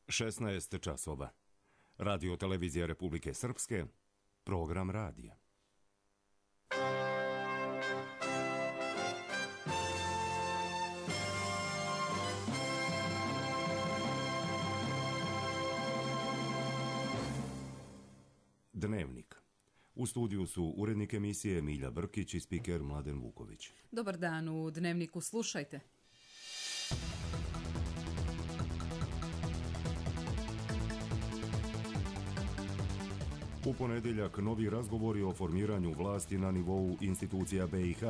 16 časova. Radio Televizija Republike Srpske, program radija. Dnevnik. U studiju su urednik emisije Milja Brkić i spiker Mladen Vuković. Dobar dan, u Dnevniku slušajte. U ponedjeljak novi razgovori o formiranju vlasti na nivou institucija BiH.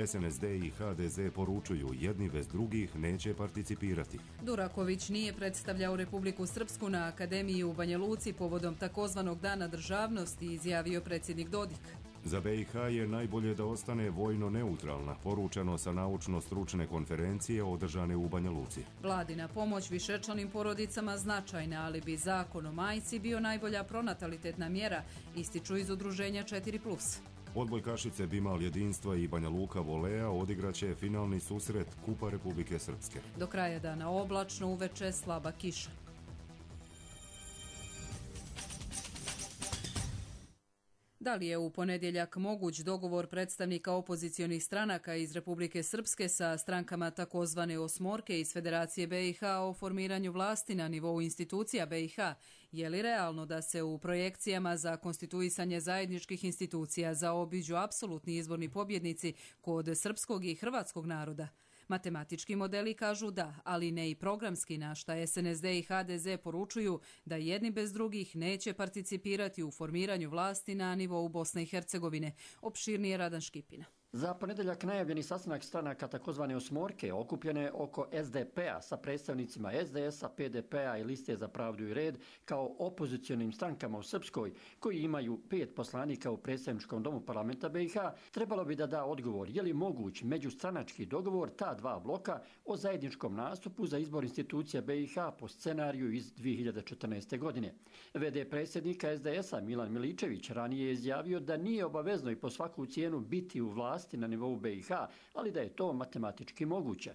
SNSD i HDZ poručuju jedni bez drugih neće participirati. Duraković nije predstavljao Republiku Srpsku na Akademiji u Banja Luci povodom takozvanog Dana državnosti, izjavio predsjednik Dodik. Za BiH je najbolje da ostane vojno neutralna, poručeno sa naučno-stručne konferencije održane u Banja Luci. Vladina pomoć višečlanim porodicama značajna, ali bi zakon o majci bio najbolja pronatalitetna mjera, ističu iz udruženja 4+. Odbojkašice Bimal Jedinstva i Banja Luka Volea odigraće finalni susret Kupa Republike Srpske. Do kraja dana oblačno, uveče slaba kiša. Da li je u ponedjeljak moguć dogovor predstavnika opozicionih stranaka iz Republike Srpske sa strankama takozvane osmorke iz Federacije BiH o formiranju vlasti na nivou institucija BiH? Je li realno da se u projekcijama za konstituisanje zajedničkih institucija zaobiđu apsolutni izborni pobjednici kod srpskog i hrvatskog naroda? Matematički modeli kažu da, ali ne i programski, na šta SNSD i HDZ poručuju da jedni bez drugih neće participirati u formiranju vlasti na nivou Bosne i Hercegovine. Opširnije Radan Škipina. Za ponedjeljak najavljeni sastanak stranaka takozvane osmorke okupljene oko SDP-a sa predstavnicima SDS-a, PDP-a i Liste za pravdu i red kao opozicionim strankama u Srpskoj, koji imaju 5 poslanika u predstavničkom domu parlamenta BiH, trebalo bi da da odgovor je li moguć međustranački dogovor ta dva bloka o zajedničkom nastupu za izbor institucija BiH po scenariju iz 2014. godine. VD predsjednika SDS-a Milan Miličević ranije je izjavio da nije obavezno i po svaku cijenu biti u vlasti na nivou BiH, ali da je to matematički moguće.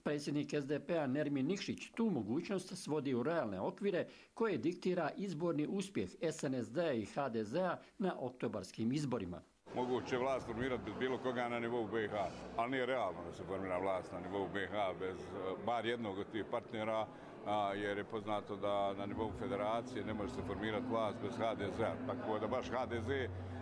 Predsjednik SDP-a Nermin Nikšić tu mogućnost svodi u realne okvire koje diktira izborni uspjeh SNSD i HDZ-a na oktobarskim izborima. Moguće vlast formirati bez bilo koga na nivou BiH, ali nije realno da se formira vlast na nivou BiH bez bar jednog od tih partnera, jer je poznato da na nivou federacije ne može se formirati vlast bez HDZ-a. Tako da baš HDZ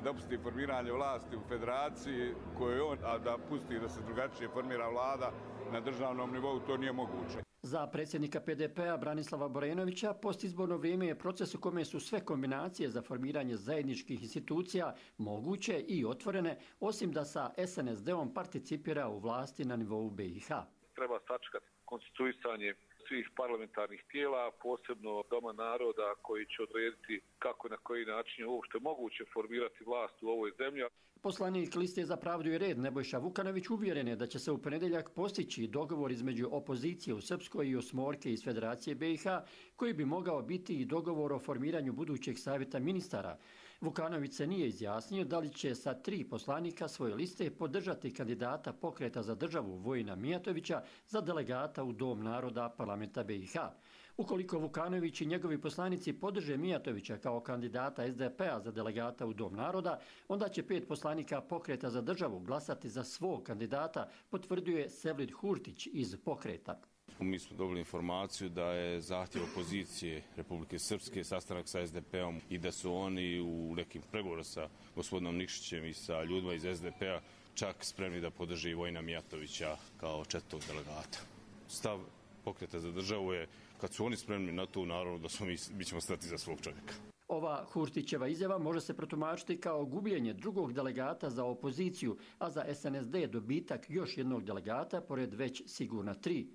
dopusti formiranje vlasti u federaciji koju on, a da pusti da se drugačije formira vlada na državnom nivou, to nije moguće. Za predsjednika PDP-a Branislava Borenovića postizborno vrijeme je proces u kome su sve kombinacije za formiranje zajedničkih institucija moguće i otvorene, osim da sa SNSD-om participira u vlasti na nivou BiH. Treba sačekati konstituisanje svih parlamentarnih tijela, posebno Doma naroda koji će odrediti kako i na koji način je uopšte moguće formirati vlast u ovoj zemlji. Poslanik Liste za pravdu i red Nebojša Vukanović uvjeren je da će se u ponedjeljak postići dogovor između opozicije u Srpskoj i osmorke iz Federacije BiH, koji bi mogao biti i dogovor o formiranju budućeg savjeta ministara. Vukanović se nije izjasnio da li će sa 3 poslanika svoje liste podržati kandidata Pokreta za državu Vojina Mijatovića za delegata u Dom naroda parlamenta BiH. Ukoliko Vukanović i njegovi poslanici podrže Mijatovića kao kandidata SDP-a za delegata u Dom naroda, onda će 5 poslanika Pokreta za državu glasati za svog kandidata, potvrđuje Sevlid Hurtić iz Pokreta. Mi smo dobili informaciju da je zahtjev opozicije Republike Srpske sastanak sa SDP-om i da su oni u nekim pregovorima sa gospodinom Nikšićem i sa ljudima iz SDP-a čak spremni da podrže i Vojina Mijatovića kao 4. delegata. Stav Pokreta za državu je, kad su oni spremni na to, naravno da mi ćemo stati za svog čovjeka. Ova Hurtićeva izjava može se protumačiti kao gubljenje drugog delegata za opoziciju, a za SNSD dobitak još jednog delegata, pored već sigurna 3.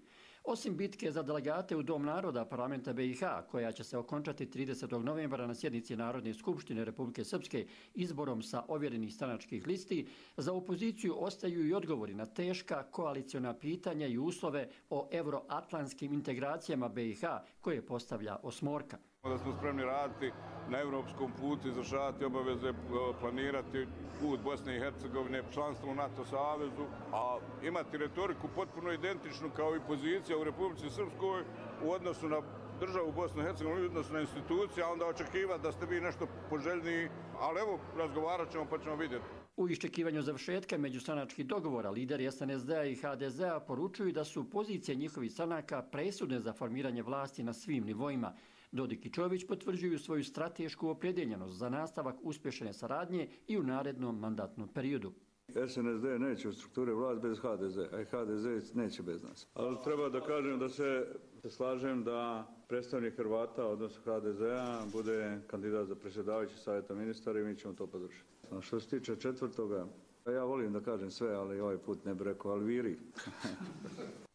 Osim bitke za delegate u Dom naroda parlamenta BiH, koja će se okončati 30. novembra na sjednici Narodne skupštine Republike Srpske izborom sa ovjerenih stranačkih listi, za opoziciju ostaju i odgovori na teška koaliciona pitanja i uslove o euroatlantskim integracijama BiH koje postavlja osmorka. Da smo spremni raditi na evropskom putu, izvršavati obaveze, planirati put Bosne i Hercegovine, članstvo u NATO savezu, a imati retoriku potpuno identičnu kao i pozicija u Republici Srpskoj u odnosu na državu Bosnu i Hercegovinu, odnosno na institucije, a onda očekivati da ste vi nešto poželjniji, ali evo, razgovarat ćemo pa ćemo vidjeti. U iščekivanju završetka međustranačkih dogovora lideri SNSD-a i HDZ-a poručuju da su pozicije njihovih stranaka presudne za formiranje vlasti na svim nivoima. Dodik i Čović potvrđuju svoju stratešku opredjeljenost za nastavak uspješne saradnje i u narednom mandatnom periodu. SNSD neće u strukturi vlast bez HDZ, a i HDZ neće bez nas. Ali treba da kažem da se slažem da predstavnik Hrvata, odnosno HDZ-a, bude kandidat za predsjedavajući savjeta ministara i mi ćemo to podržati. A što se tiče četvrtoga, ja volim da kažem sve, ali ovaj put ne bih rekao Alviri.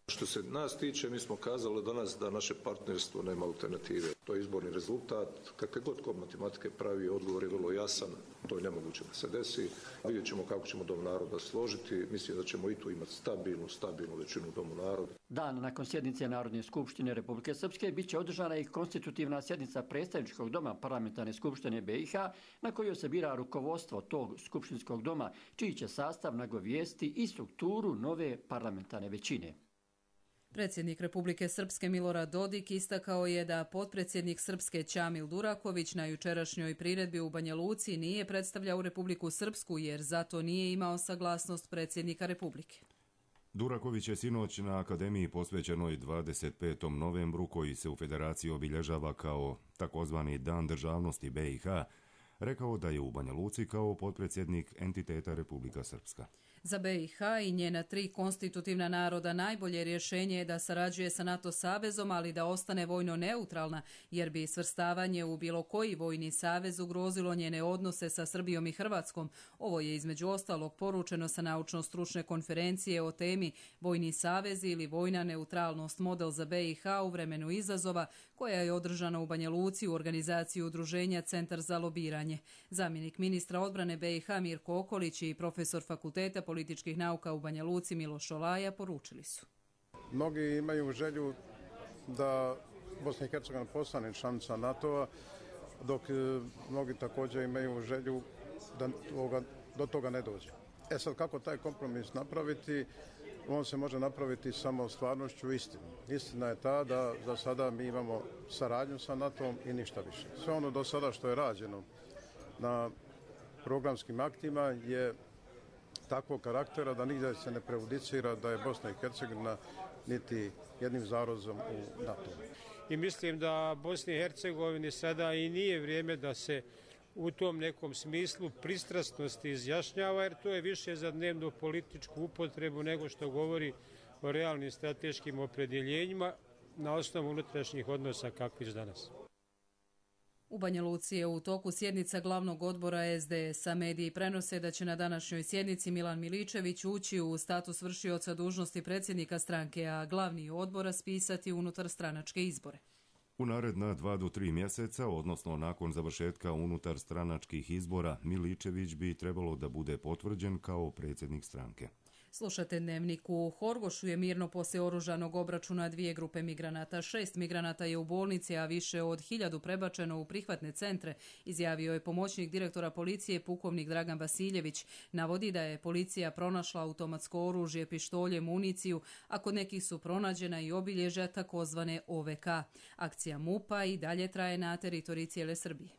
Što se nas tiče, mi smo kazali danas da naše partnerstvo nema alternative. To je izborni rezultat. Kakve god kod matematike pravi, odgovor je vrlo jasan. To je nemoguće da se desi. Vidjet ćemo kako ćemo Dom naroda složiti. Mislim da ćemo i tu imati stabilnu većinu u Domu naroda. Dan nakon sjednice Narodne skupštine Republike Srpske bit će održana i konstitutivna sjednica predstavničkog doma Parlamentarne skupštine BiH, na kojoj se bira rukovodstvo tog skupštinskog doma, čiji će sastav nagovijesti i strukturu nove parlamentarne većine. Predsjednik Republike Srpske Milorad Dodik istakao je da potpredsjednik Srpske Ćamil Duraković na jučerašnjoj priredbi u Banja Luci nije predstavljao Republiku Srpsku jer zato nije imao saglasnost predsjednika Republike. Duraković je sinoć na akademiji posvećenoj 25. novembru, koji se u Federaciji obilježava kao takozvani Dan državnosti BiH, rekao da je u Banja Luci kao potpredsjednik entiteta Republika Srpska. Za BiH i njena 3 konstitutivna naroda najbolje rješenje je da sarađuje sa NATO savezom, ali da ostane vojno neutralna, jer bi svrstavanje u bilo koji vojni savez ugrozilo njene odnose sa Srbijom i Hrvatskom. Ovo je između ostalog poručeno sa naučno-stručne konferencije o temi Vojni savez ili vojna neutralnost, model za BiH u vremenu izazova, koja je održana u Banja Luci u organizaciji udruženja Centar za lobiranje. Zamjenik ministra odbrane BiH Mirko Okolić i profesor Fakulteta političkih nauka u Banja Luci Miloš Olaja poručili su. Mnogi imaju želju da Bosna i Hercegovina postane članica NATO-a, dok mnogi također imaju želju da do toga ne dođe. Sad kako taj kompromis napraviti? On se može napraviti samo stvarnošću istinom. Istina je ta da za sada mi imamo saradnju sa NATO-om i ništa više. Sve ono do sada što je rađeno na programskim aktima je takvog karaktera da nigdje se ne prejudicira da je Bosna i Hercegovina niti jednim zarozom u NATO. I mislim da Bosni i Hercegovini sada i nije vrijeme da se u tom nekom smislu pristrasnosti izjašnjava, jer to je više za dnevnu političku upotrebu nego što govori o realnim strateškim opredjeljenjima na osnovu unutrašnjih odnosa kakvih danas. U Banja Luci je u toku sjednica glavnog odbora SDS-a. Mediji prenose da će na današnjoj sjednici Milan Miličević ući u status vršioca dužnosti predsjednika stranke, a glavni odbor raspisati unutar stranačke izbore. U naredna 2 do 3 mjeseca, odnosno nakon završetka unutar stranačkih izbora, Miličević bi trebalo da bude potvrđen kao predsjednik stranke. Slušate Dnevnik. U Horgošu je mirno poslije oružanog obračuna 2 grupe migranata. 6 migranata je u bolnici, a više od 1000 prebačeno u prihvatne centre, izjavio je pomoćnik direktora policije pukovnik Dragan Vasiljević. Navodi da je policija pronašla automatsko oružje, pištolje, municiju, a kod nekih su pronađena i obilježja takozvane OVK. Akcija MUP-a i dalje traje na teritoriji cijele Srbije.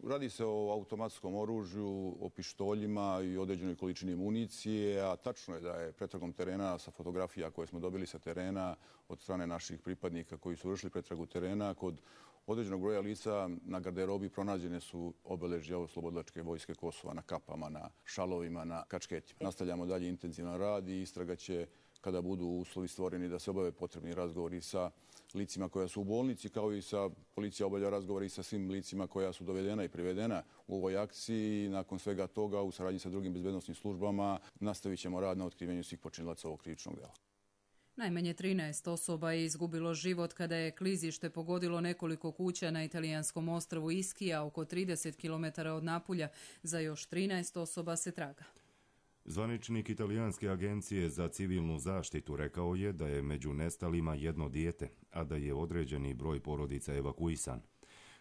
Radi se o automatskom oružju, o pištoljima i određenoj količini municije, a tačno je da je pretragom terena sa fotografija koje smo dobili sa terena od strane naših pripadnika koji su vršili pretragu terena, kod određenog broja lica na garderobi pronađene su obeležja Oslobodilačke vojske Kosova na kapama, na šalovima, na kačketima. Nastavljamo dalje intenzivan rad i istraga će, kada budu uslovi stvoreni, da se obave potrebni razgovori sa licima koja su u bolnici, kao i policija obavlja razgovori sa svim licima koja su dovedena i privedena u ovoj akciji. Nakon svega toga, u saradnji sa drugim bezbednosnim službama, nastavit ćemo rad na otkrivenju svih počinilaca ovog krivičnog dela. Najmanje 13 osoba je izgubilo život kada je klizište pogodilo nekoliko kuća na italijanskom ostrvu Ischia, oko 30 km od Napulja. Za još 13 osoba se traga. Zvaničnik Italijanske agencije za civilnu zaštitu rekao je da je među nestalima jedno dijete, a da je određeni broj porodica evakuisan.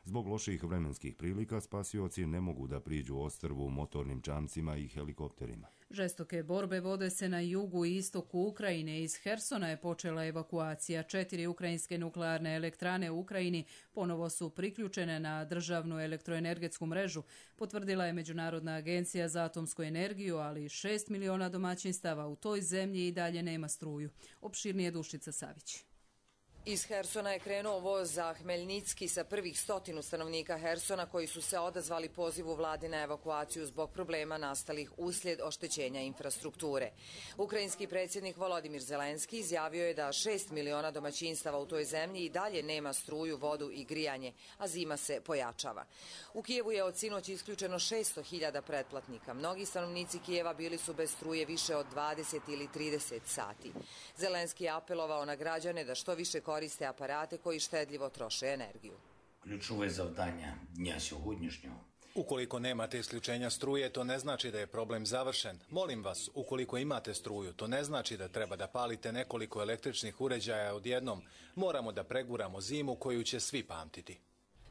Zbog loših vremenskih prilika spasioci ne mogu da priđu ostrvu motornim čamcima i helikopterima. Žestoke borbe vode se na jugu i istoku Ukrajine. Iz Hersona je počela evakuacija. 4 ukrajinske nuklearne elektrane u Ukrajini ponovo su priključene na državnu elektroenergetsku mrežu, potvrdila je Međunarodna agencija za atomsku energiju, ali 6 miliona domaćinstava u toj zemlji i dalje nema struju. Opširnije Dušica Savić. Iz Hersona je krenuo voz za Hmeljnicki sa prvih 100 stanovnika Hersona koji su se odazvali pozivu vlade na evakuaciju zbog problema nastalih uslijed oštećenja infrastrukture. Ukrajinski predsjednik Volodimir Zelenski izjavio je da 6 miliona domaćinstava u toj zemlji i dalje nema struju, vodu i grijanje, a zima se pojačava. U Kijevu je od sinoć isključeno 600.000 pretplatnika. Mnogi stanovnici Kijeva bili su bez struje više od 20 ili 30 sati. Zelenski je apelovao na građane da što više koriste aparate koji štedljivo troše energiju. Ключове завдання дня сьогоднішнього. Ukoliko nemate isključenja struje, to ne znači da je problem završen. Molim vas, ukoliko imate struju, to ne znači da treba da palite nekoliko električnih uređaja odjednom. Moramo da preguramo zimu koju će svi pamtiti.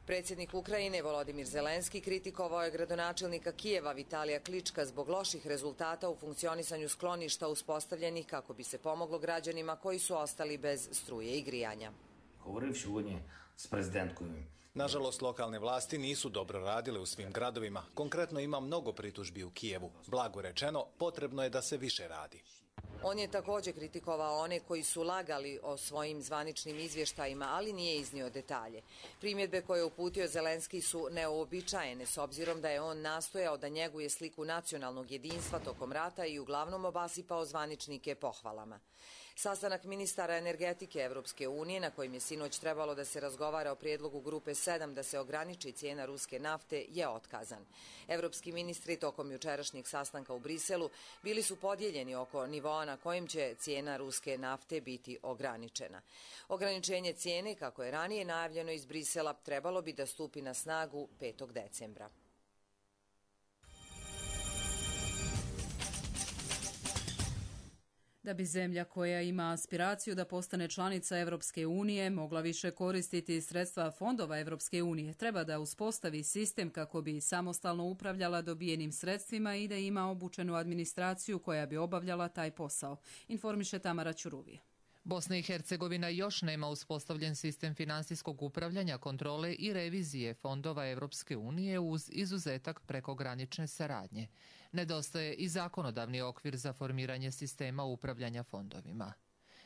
Predsjednik Ukrajine Volodimir Zelenski kritikovao je gradonačelnika Kijeva Vitalija Klička zbog loših rezultata u funkcionisanju skloništa uspostavljenih kako bi se pomoglo građanima koji su ostali bez struje i grijanja. Говорив сьогодні з президенткою. Nažalost, lokalne vlasti nisu dobro radile u svim gradovima. Konkretno ima mnogo pritužbi u Kijevu. Blago rečeno, potrebno je da se više radi. On je također kritikovao one koji su lagali o svojim zvaničnim izvještajima, ali nije iznio detalje. Primjedbe koje je uputio Zelenski su neuobičajene, s obzirom da je on nastojao da njeguje sliku nacionalnog jedinstva tokom rata i uglavnom obasipao zvaničnike pohvalama. Sastanak ministara energetike Evropske unije, na kojim je sinoć trebalo da se razgovara o prijedlogu grupe 7 da se ograniči cijena ruske nafte, je otkazan. Evropski ministri tokom jučerašnjeg sastanka u Briselu bili su podijeljeni oko nivoa na kojim će cijena ruske nafte biti ograničena. Ograničenje cijene, kako je ranije najavljeno iz Brisela, trebalo bi da stupi na snagu 5. decembra. Da bi zemlja koja ima aspiraciju da postane članica Evropske unije mogla više koristiti sredstva fondova Evropske unije, treba da uspostavi sistem kako bi samostalno upravljala dobijenim sredstvima i da ima obučenu administraciju koja bi obavljala taj posao, informiše Tamara Ćuruvije. Bosna i Hercegovina još nema uspostavljen sistem finansijskog upravljanja, kontrole i revizije fondova Evropske unije uz izuzetak prekogranične saradnje. Nedostaje i zakonodavni okvir za formiranje sistema upravljanja fondovima.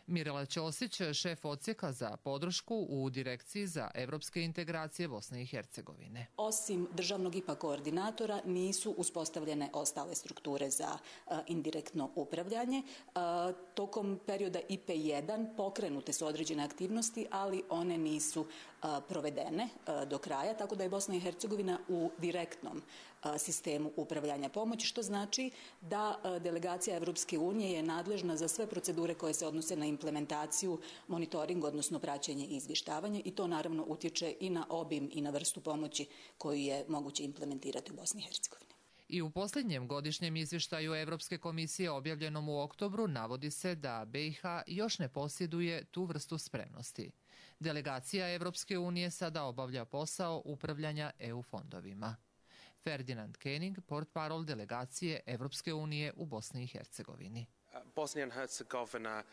Mirela Ćosić, šef odsjeka za podršku u Direkciji za evropske integracije Bosne i Hercegovine. Osim državnog IPA koordinatora nisu uspostavljene ostale strukture za indirektno upravljanje. Tokom perioda IP1 pokrenute su određene aktivnosti, ali one nisu provedene do kraja, tako da je Bosna i Hercegovina u direktnom sistemu upravljanja pomoći, što znači da delegacija Evropske unije je nadležna za sve procedure koje se odnose na implementaciju, monitoring, odnosno praćenje i izvještavanje, i to naravno utječe i na obim i na vrstu pomoći koju je moguće implementirati u Bosni i Hercegovini. I u posljednjem godišnjem izvještaju Evropske komisije objavljenom u oktobru navodi se da BiH još ne posjeduje tu vrstu spremnosti. Delegacija Evropske unije sada obavlja posao upravljanja EU fondovima. Ferdinand Koenig, portparol delegacije Evropske unije u Bosni i Hercegovini. Bosnia and Herzegovina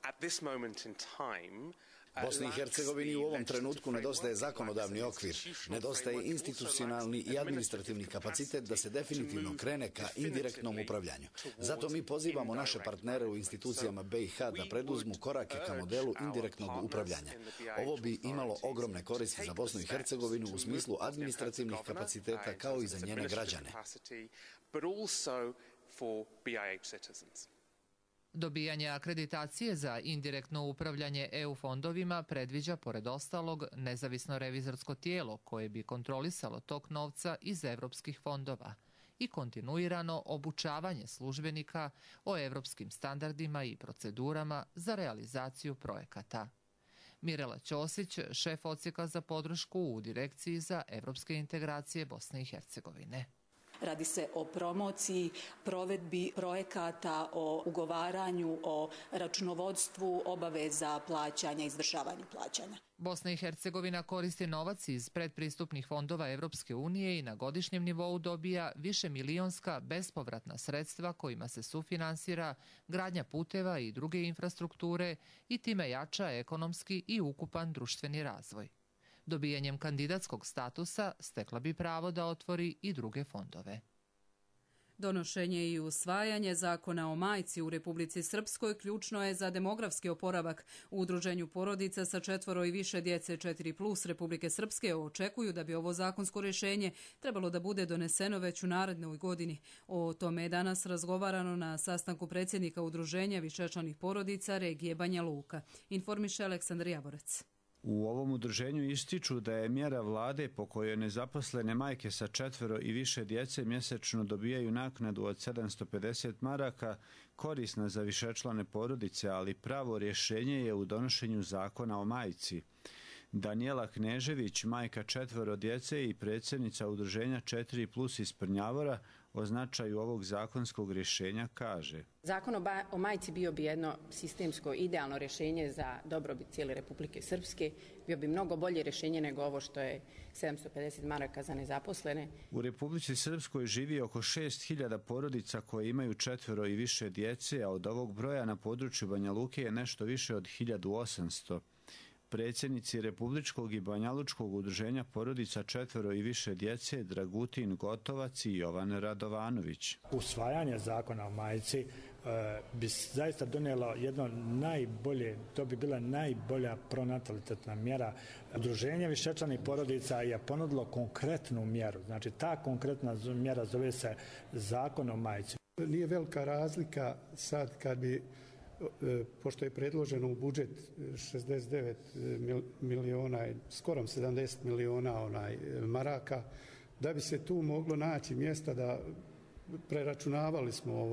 at this moment in time Bosni i Hercegovini u ovom trenutku nedostaje zakonodavni okvir, nedostaje institucionalni i administrativni kapacitet da se definitivno krene ka indirektnom upravljanju. Zato mi pozivamo naše partnere u institucijama BiH da preduzmu korake ka modelu indirektnog upravljanja. Ovo bi imalo ogromne koristi za Bosnu i Hercegovinu u smislu administrativnih kapaciteta kao i za njene građane. Dobijanje akreditacije za indirektno upravljanje EU fondovima predviđa, pored ostalog, nezavisno revizorsko tijelo koje bi kontrolisalo tok novca iz evropskih fondova i kontinuirano obučavanje službenika o evropskim standardima i procedurama za realizaciju projekata. Mirela Ćosić, šef odsjeka za podršku u Direkciji za evropske integracije Bosne i Hercegovine. Radi se o promociji, provedbi projekata, o ugovaranju, o računovodstvu, obaveza plaćanja, izvršavanju plaćanja. Bosna i Hercegovina koristi novac iz predpristupnih fondova Evropske unije i na godišnjem nivou dobija višemilionska bespovratna sredstva kojima se sufinansira gradnja puteva i druge infrastrukture i time jača ekonomski i ukupan društveni razvoj. Dobijanjem kandidatskog statusa stekla bi pravo da otvori i druge fondove. Donošenje i usvajanje zakona o majci u Republici Srpskoj ključno je za demografski oporavak. U udruženju porodica sa 4 i više djece 4+ Republike Srpske očekuju da bi ovo zakonsko rješenje trebalo da bude doneseno već u narednoj godini. O tome je danas razgovarano na sastanku predsjednika udruženja višečlanih porodica regije Banja Luka. Informiše Aleksandar Javorec. U ovom udruženju ističu da je mjera vlade po kojoj nezaposlene majke sa 4 i više djece mjesečno dobijaju naknadu od 750 maraka korisna za višečlane porodice, ali pravo rješenje je u donošenju zakona o majci. Danijela Knežević, majka 4 djece i predsjednica udruženja 4+ iz Prnjavora, o značaju ovog zakonskog rješenja kaže: Zakon o majci bio bi jedno sistemsko idealno rješenje za dobrobit cijele Republike Srpske, bio bi mnogo bolje rješenje nego ovo što je 750 maraka za nezaposlene. U Republici Srpskoj živi oko 6.000 porodica koje imaju 4 i više djece, a od ovog broja na području Banja Luke je nešto više od 1.800. Predsjednici Republičkog i Banjalučkog udruženja porodica 4 i više djece Dragutin Gotovac i Jovan Radovanović. Usvajanje zakona o majci bi zaista donijelo jedno najbolje, to bi bila najbolja pronatalitetna mjera. Udruženje višečlanih porodica je ponudilo konkretnu mjeru, znači ta konkretna mjera zove se zakon o majci. Nije velika razlika sad kad bi, pošto je predloženo u budžet 69 miliona, skoro 70 miliona maraka, da bi se tu moglo naći mjesta da preračunavali smo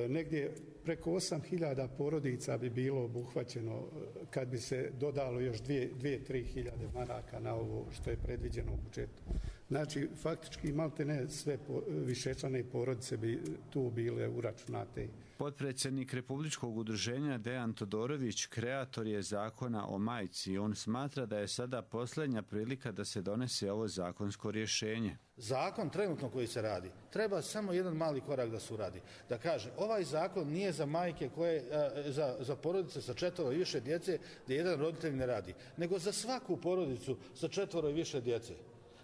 negdje preko 8.000 porodica bi bilo obuhvaćeno kad bi se dodalo još 2-3 hiljade maraka na ovo što je predviđeno u budžetu. Znači, faktički maltene sve višečlane porodice bi tu bile uračunate. Potpredsjednik Republičkog udruženja Dejan Todorović kreator je zakona o majci. On smatra da je sada posljednja prilika da se donese ovo zakonsko rješenje. Zakon trenutno koji se radi, treba samo jedan mali korak da se uradi. Da kaže, ovaj zakon nije za majke koje, za porodice sa 4 i više djece gdje jedan roditelj ne radi, nego za svaku porodicu sa 4 i više djece.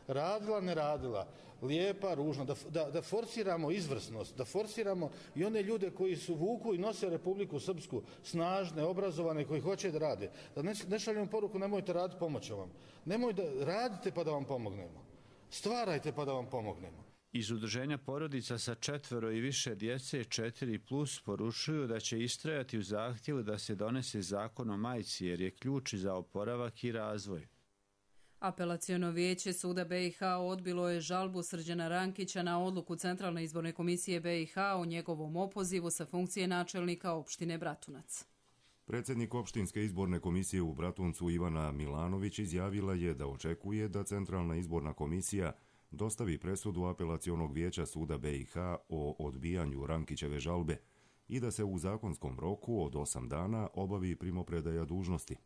Radila, ne radila, lijepa, ružna, da forsiramo izvrsnost, da forsiramo i one ljude koji su vuku i nose Republiku Srpsku, snažne, obrazovane, koji hoće da rade. Da ne šaljemo poruku, nemojte raditi, pomoću vam. Nemojte, radite pa da vam pomognemo. Stvarajte pa da vam pomognemo. Iz udruženja porodica sa 4 i više djece 4+ poručuju da će istrajati u zahtjevu da se donese zakon o majci jer je ključ za oporavak i razvoj. Apelaciono vijeće Suda BiH odbilo je žalbu Srđana Rankića na odluku Centralne izborne komisije BiH o njegovom opozivu sa funkcije načelnika opštine Bratunac. Predsjednik opštinske izborne komisije u Bratuncu Ivana Milanović izjavila je da očekuje da Centralna izborna komisija dostavi presudu apelacionog vijeća Suda BiH o odbijanju Rankićeve žalbe i da se u zakonskom roku od 8 dana obavi primopredaja dužnosti.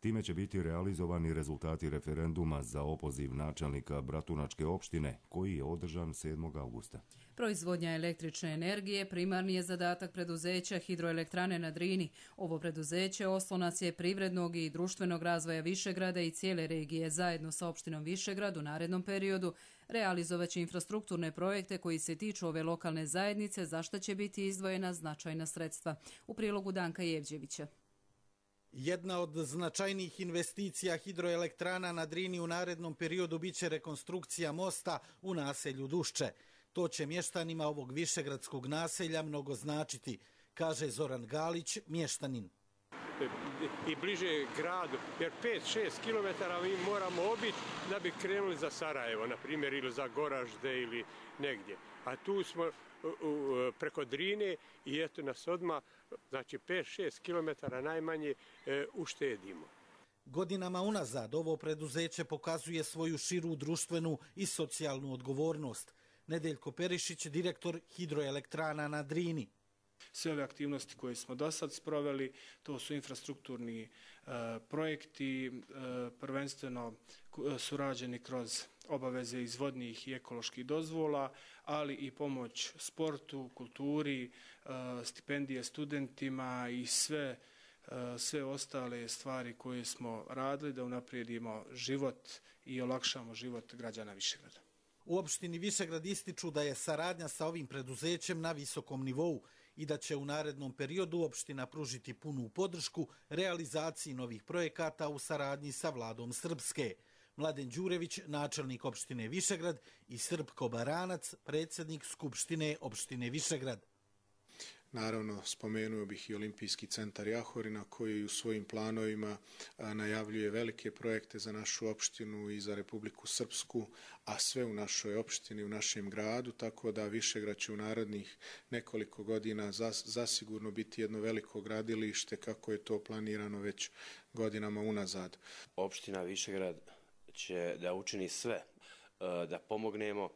Time će biti realizovani rezultati referenduma za opoziv načelnika Bratunačke opštine, koji je održan 7. augusta. Proizvodnja električne energije primarni je zadatak preduzeća Hidroelektrane na Drini. Ovo preduzeće oslonac je privrednog i društvenog razvoja Višegrada i cijele regije. Zajedno sa opštinom Višegrad u narednom periodu realizovaće infrastrukturne projekte koji se tiču ove lokalne zajednice, za što će biti izdvojena značajna sredstva. U prilogu Danka Jevđevića. Jedna od značajnijih investicija hidroelektrana na Drini u narednom periodu biće rekonstrukcija mosta u naselju Dušče. To će mještanima ovog višegradskog naselja mnogo značiti, kaže Zoran Galić, mještanin. I bliže gradu, jer 5-6 kilometara mi moramo obići da bi krenuli za Sarajevo, na primjer, ili za Goražde ili negdje. A tu smo preko Drine i eto nas odmah, znači 5-6 kilometara najmanje uštedimo. Godinama unazad ovo preduzeće pokazuje svoju širu društvenu i socijalnu odgovornost. Nedeljko Perišić, direktor hidroelektrana na Drini. Sve ove aktivnosti koje smo do sad sproveli, to su infrastrukturni projekti, prvenstveno su rađeni kroz obaveze iz vodnih i ekoloških dozvola, ali i pomoć sportu, kulturi, stipendije studentima i sve ostale stvari koje smo radili da unaprijedimo život i olakšamo život građana Višegrada. U opštini Višegrad ističu da je saradnja sa ovim preduzećem na visokom nivou i da će u narednom periodu opština pružiti punu podršku realizaciji novih projekata u saradnji sa vladom Srpske. Mladen Đurević, načelnik opštine Višegrad, i Srpko Baranac, predsjednik Skupštine opštine Višegrad. Naravno, spomenuo bih i Olimpijski centar Jahorina koji u svojim planovima najavljuje velike projekte za našu opštinu i za Republiku Srpsku, a sve u našoj opštini, u našem gradu, tako da Višegrad će u narednih nekoliko godina zasigurno biti jedno veliko gradilište kako je to planirano već godinama unazad. Opština Višegrad će da učini sve da pomognemo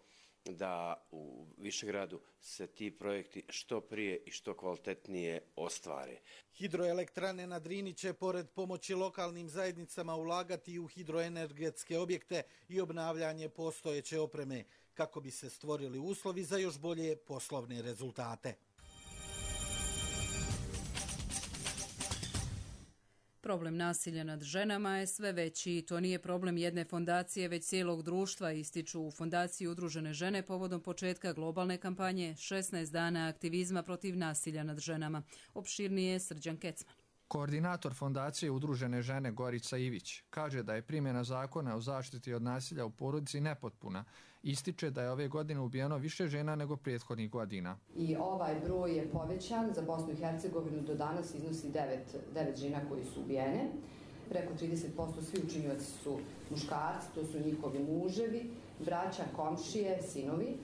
da u Višegradu se ti projekti što prije i što kvalitetnije ostvare. Hidroelektrane na Drini će pored pomoći lokalnim zajednicama ulagati u hidroenergetske objekte i obnavljanje postojeće opreme kako bi se stvorili uslovi za još bolje poslovne rezultate. Problem nasilja nad ženama je sve veći i to nije problem jedne fondacije, već cijelog društva, ističu u Fondaciji Udružene žene povodom početka globalne kampanje 16 dana aktivizma protiv nasilja nad ženama. Opširnije Srđan Kecman. Koordinator Fondacije Udružene žene Gorica Ivić kaže da je primjena zakona o zaštiti od nasilja u porodici nepotpuna. Ističe da je ove godine ubijeno više žena nego prethodnih godina. I ovaj broj je povećan za Bosnu i Hercegovinu, do danas iznosi 9 žena koji su ubijene. Preko 30% svi učinioci su muškarci, to su njihovi muževi, braća, komšije, sinovi.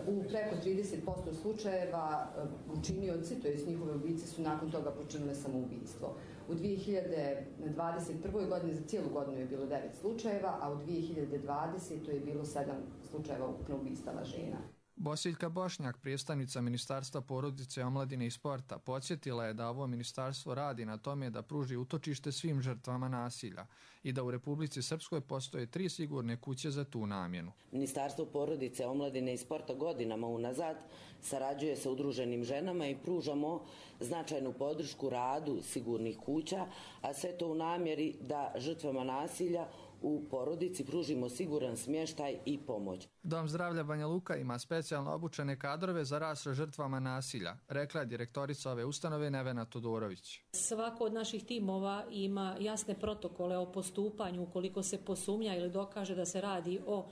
U preko 30% slučajeva učinioci, to jest njihove ubice, su nakon toga počinile samoubistvo. U 2021. godini za cijelu godinu je bilo 9 slučajeva, a u 2020. je bilo 7 slučajeva ukupno ubistava žena. Bosiljka Bošnjak, predstavnica Ministarstva porodice, omladine i sporta, podsjetila je da ovo ministarstvo radi na tome da pruži utočište svim žrtvama nasilja i da u Republici Srpskoj postoje 3 sigurne kuće za tu namjenu. Ministarstvo porodice, omladine i sporta godinama unazad sarađuje sa udruženim ženama i pružamo značajnu podršku radu sigurnih kuća, a sve to u namjeri da žrtvama nasilja u porodici pružimo siguran smještaj i pomoć. Dom zdravlja Banja Luka ima specijalno obučene kadrove za rad sa žrtvama nasilja, rekla je direktorica ove ustanove Nevena Todorović. Svako od naših timova ima jasne protokole o postupanju ukoliko se posumnja ili dokaže da se radi o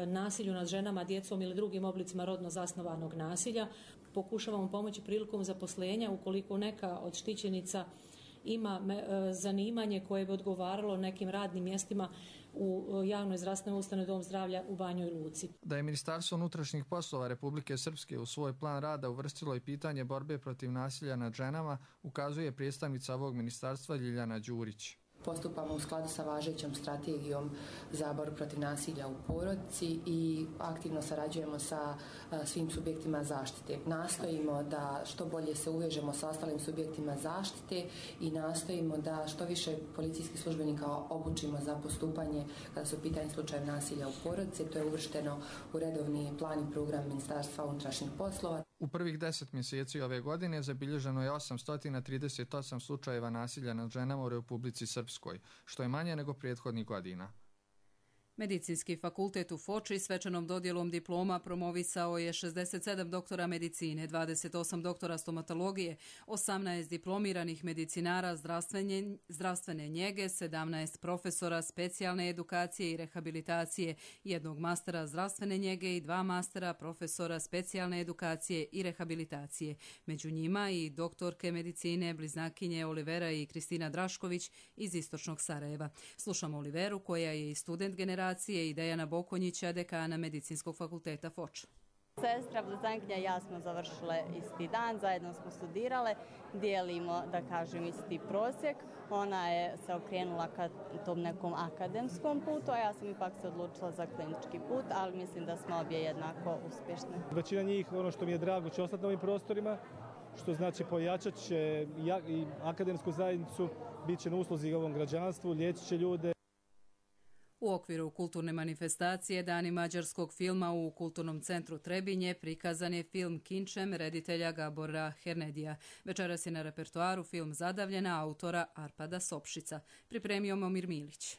nasilju nad ženama, djecom ili drugim oblicima rodno zasnovanog nasilja. Pokušavamo pomoći prilikom zaposlenja ukoliko neka od štićenica ima zanimanje koje bi odgovaralo nekim radnim mjestima u javnoj zdravstvenoj ustanovi Dom zdravlja u Banjoj Luci. Da je Ministarstvo unutrašnjih poslova Republike Srpske u svoj plan rada uvrstilo i pitanje borbe protiv nasilja nad ženama, ukazuje predstavnica ovog ministarstva Ljiljana Đurić. Postupamo u skladu sa važećom strategijom za borbu protiv nasilja u porodici i aktivno sarađujemo sa svim subjektima zaštite. Nastojimo da što bolje se uvežemo sa ostalim subjektima zaštite i nastojimo da što više policijskih službenika obučimo za postupanje kada su u pitanju slučajevi nasilja u porodici. To je uvršteno u redovni plan i program Ministarstva unutrašnjih poslova. U prvih 10 mjeseci ove godine zabilježeno je 838 slučajeva nasilja nad ženama u Republici Srpskoj, što je manje nego prethodnih godina. Medicinski fakultet u Foči svečanom dodjelom diploma promovisao je 67 doktora medicine, 28 doktora stomatologije, 18 diplomiranih medicinara zdravstvene njege, 17 profesora specijalne edukacije i rehabilitacije, 1 mastera zdravstvene njege i 2 mastera profesora specijalne edukacije i rehabilitacije. Među njima i doktorke medicine bliznakinje Olivera i Kristina Drašković iz istočnog Sarajeva. Slušamo Oliveru koja je i student generacije i Dejana Bokonjića, dekana Medicinskog fakulteta Foča. Sestra blizankinja i ja smo završile isti dan, zajedno smo studirale, dijelimo, da kažem, isti prosjek. Ona je se okrenula ka tom nekom akademskom putu, a ja sam ipak se odlučila za klinički put, ali mislim da smo obje jednako uspješne. Većina njih, ono što mi je drago, će ostati na ovim prostorima, što znači pojačat će i akademsku zajednicu, bit će na usluzi ovom građanstvu, liječit će ljude. U okviru kulturne manifestacije Dani mađarskog filma u Kulturnom centru Trebinje prikazan je film Kinčem reditelja Gabora Hernedija. Večeras je na repertoaru film Zadavljena autora Arpada Sopšica. Pripremio Momir Milić.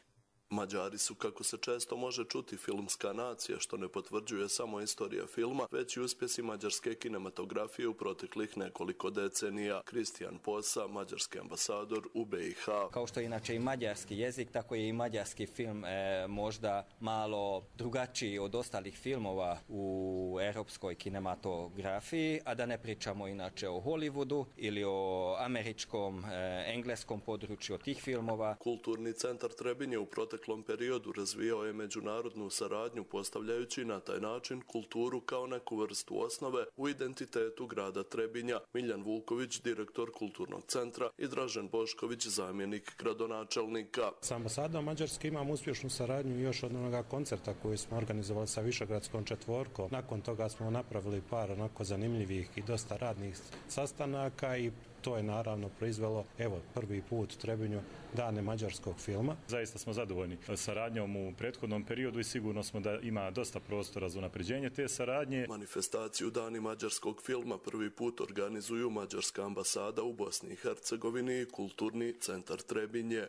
Mađari su, kako se često može čuti, filmska nacija, što ne potvrđuje samo istorija filma, već i uspjesi mađarske kinematografije u proteklih nekoliko decenija. Kristijan Posa, mađarski ambasador u BiH. Kao što je inače i mađarski jezik, tako je i mađarski film možda malo drugačiji od ostalih filmova u europskoj kinematografiji, a da ne pričamo inače o Hollywoodu ili o američkom, engleskom području tih filmova. Kulturni centar Trebinje u proteklom periodu razvijao je međunarodnu saradnju, postavljajući na taj način kulturu kao neku vrstu osnove u identitetu grada Trebinja. Miljan Vuković, direktor kulturnog centra, i Dražen Bošković, zamjenik gradonačelnika. Sa ambasadom Mađarske imamo uspješnu saradnju još od onoga koncerta koji smo organizovali sa Višegradskom četvorkom. Nakon toga smo napravili par onako zanimljivih i dosta radnih sastanaka i to je naravno proizvelo, prvi put u Trebinju Dane mađarskog filma. Zaista smo zadovoljni saradnjom u prethodnom periodu i sigurno smo da ima dosta prostora za unapređenje te saradnje. Manifestaciju Dani mađarskog filma prvi put organizuju Mađarska ambasada u Bosni i Hercegovini i Kulturni centar Trebinje.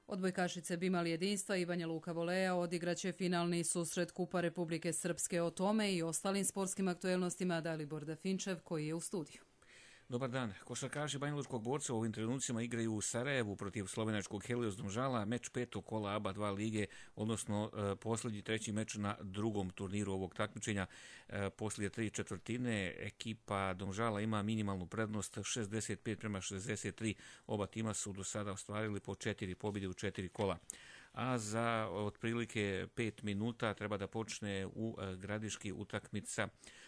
Odbojkašice Bimal jedinstva i Banja Luka Voleja odigraće finalni susret Kupa Republike Srpske. O tome i ostalim sportskim aktuelnostima Dalibor Dafinčev, koji je u studiju. Dobar dan. Košarkaši banjalučkog borca u ovim trenucima igraju u Sarajevu protiv slovenačkog Helios Domžala, meč petog kola ABA 2 lige, odnosno posljednji treći meč na drugom turniru ovog takmičenja. Poslije 3/4 ekipa Domžala ima minimalnu prednost 65-63. Oba tima su do sada ostvarili po 4 pobjede u 4 kola. A za otprilike 5 minuta treba da počne u Gradiški utakmica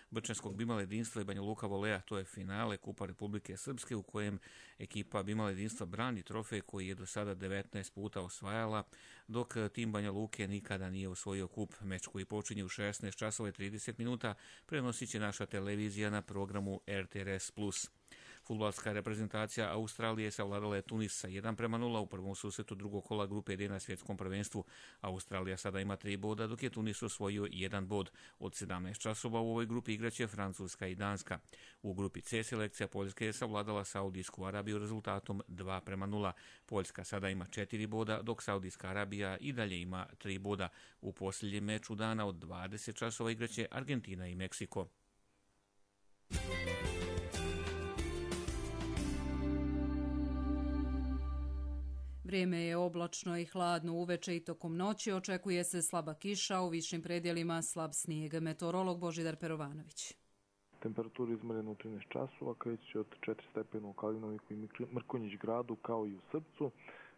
Brčanskog Bimal jedinstva i Banja Luka Voleja. To je finale Kupa Republike Srpske u kojem ekipa Bimal jedinstva brani trofej koji je do sada 19 puta osvajala, dok tim Banja Luke nikada nije osvojio kup. Meč koji počinje u 16 časova i 30 minuta prenosit će naša televizija na programu RTRS+. Fudbalska reprezentacija Australije savladala je Tunis sa 1-0 u prvom susretu drugog kola grupe D na svjetskom prvenstvu. Australija sada ima 3 boda, dok je Tunis osvojio 1 bod. Od 17 časova u ovoj grupi igraće Francuska i Danska. U grupi C selekcija Poljske je savladala Saudijsku Arabiju rezultatom 2-0. Poljska sada ima 4 boda, dok Saudijska Arabija i dalje ima 3 boda. U posljednjem meču dana od 20 časova igraće Argentina i Meksiko. Vrijeme je oblačno i hladno uveče i tokom noći. Očekuje se slaba kiša, u višim predjelima slab snijeg. Meteorolog Božidar Perovanović. Temperatura izmjerena u 13 časova, kreće od 4 stepena u Kalinoviku i Mrkonjić gradu kao i u Srpcu,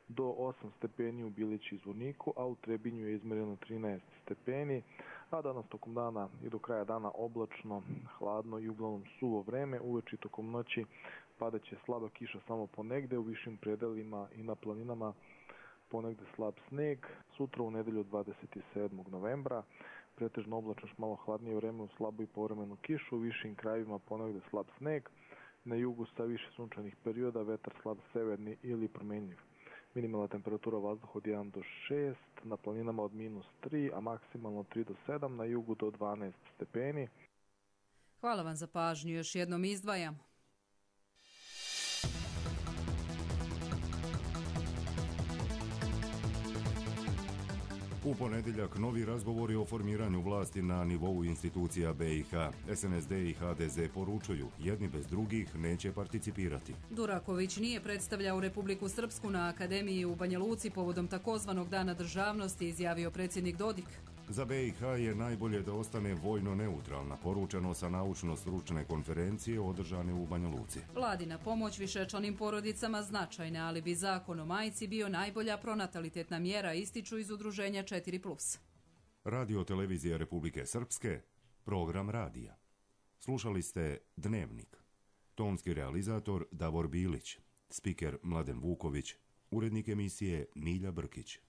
do 8 stepeni u Bilići i Zvorniku, a u Trebinju je izmjereno 13 stepeni, a danas tokom dana i do kraja dana oblačno, hladno i uglavnom suvo vreme. Uveče tokom noći padaće slaba kiša samo ponegde, u višim predelima i na planinama ponegde slab sneg. Sutra u nedelju 27. novembra pretežno oblačno, malo hladnije vreme u slabu i povremenu kišu, u višim krajevima ponegde slab sneg, na jugu sa više sunčanih perioda, vetar slab severni ili promenljiv. Minimalna temperatura vazduha od 1 do 6, na planinama od -3, a maksimalno 3 do 7, na jugu do 12 stepeni. Hvala vam za pažnju, još jednom izdvajamo. U ponedjeljak novi razgovori o formiranju vlasti na nivou institucija BiH. SNSD i HDZ poručuju, jedni bez drugih neće participirati. Duraković nije predstavljao Republiku Srpsku na Akademiji u Banja Luci povodom takozvanog Dana državnosti, izjavio predsjednik Dodik. Za BiH je najbolje da ostane vojno neutralna, poručeno sa naučno-stručne konferencije održane u Banja Luci. Vladina pomoć višečlanim porodicama značajna, ali bi zakon o majci bio najbolja pronatalitetna mjera, ističu iz udruženja 4+. Radio televizija Republike Srpske, program radija. Slušali ste Dnevnik. Tonski realizator Davor Bilić, spiker Mladen Vuković, urednik emisije Milja Brkić.